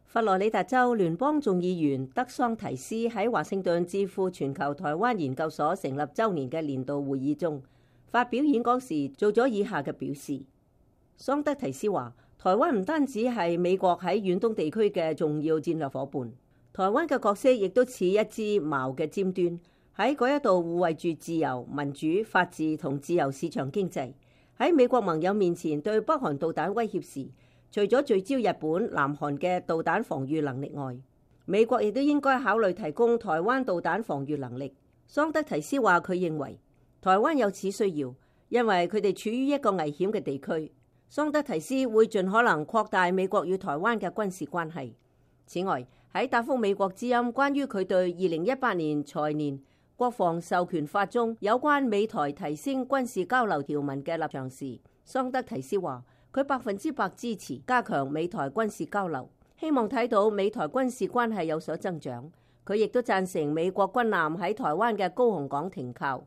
佛羅里達州聯邦眾議員德桑提斯喺華盛頓智庫全球台灣研究所成立週年嘅年度會議中發表演講時，做咗以下嘅表示。桑德提斯話：台灣唔單止係美國喺遠東地區嘅重要戰略夥伴，台灣嘅角色亦都似一支矛嘅尖端，喺嗰一度護衛住自由、民主、法治同自由市場經濟。喺美國盟友面前對北韓導彈威脅時，除咗聚焦日本、南韓嘅導彈防禦能力外，美國亦都應該考慮提供台灣導彈防禦能力。桑德提斯話：佢認為台灣有此需要，因為佢哋處於一個危險嘅地區。桑德提斯會盡可能擴大美國與台灣嘅軍事關係。此外，喺答覆美國之音關於佢對2018年財年國防授權法中有關美台提升軍事交流條文嘅立場時，桑德提斯話：佢100%支持加強美台軍事交流，希望睇到美台軍事關係有所增長。佢亦都贊成美國軍艦喺台灣嘅高雄港停靠。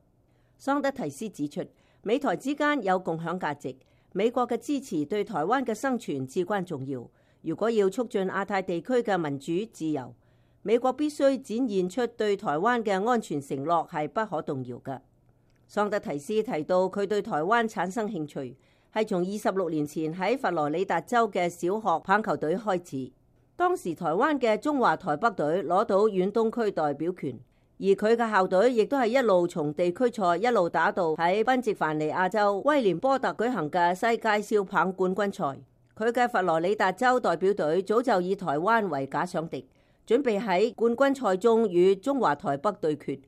桑德提斯指出，美台之間有共享價值，美國嘅支持對台灣嘅生存至關重要。如果要促進亞太地區嘅民主自由，美國必須展現出對台灣嘅安全承諾係不可動搖嘅。桑德提斯提到，佢對台灣產生興趣係從26年前喺佛羅里達州嘅小學棒球隊開始。當時台灣嘅中華台北隊攞到遠東區代表權，而佢嘅校隊亦都係一路從地區賽一路打到喺賓夕凡尼亞州威廉波特舉行嘅世界少棒冠軍賽。佢嘅佛羅里達州代表隊早就以台灣為假想敵，準備喺冠軍賽中與中華台北對決。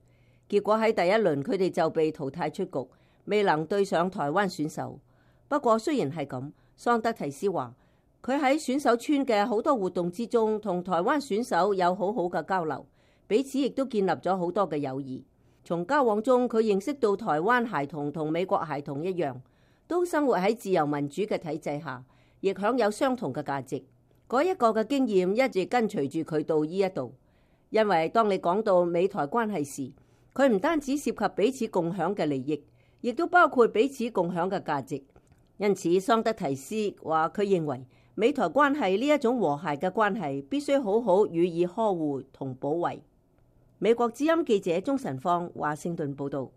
結果喺第一輪佢哋就被淘汰出局，未能對上台灣選手。不過雖然係咁，桑德提斯話佢喺選手村嘅好多活動之中，同台灣選手有好好嘅交流，彼此亦都建立咗好多嘅友誼。從交往中，佢認識到台灣孩童同美國孩童一樣，都生活喺自由民主嘅體制下，亦享有相同嘅價值。嗰一個嘅經驗一直跟隨住佢到呢一度。因為當你講到美台關係時，佢唔單止涉及彼此共享嘅利益，亦都包括彼此共享嘅價值。因此，桑德提斯話佢認為美台關係呢一種和諧嘅關係必須好好予以呵護同保衛。美國之音記者鍾晨芳華盛頓報道。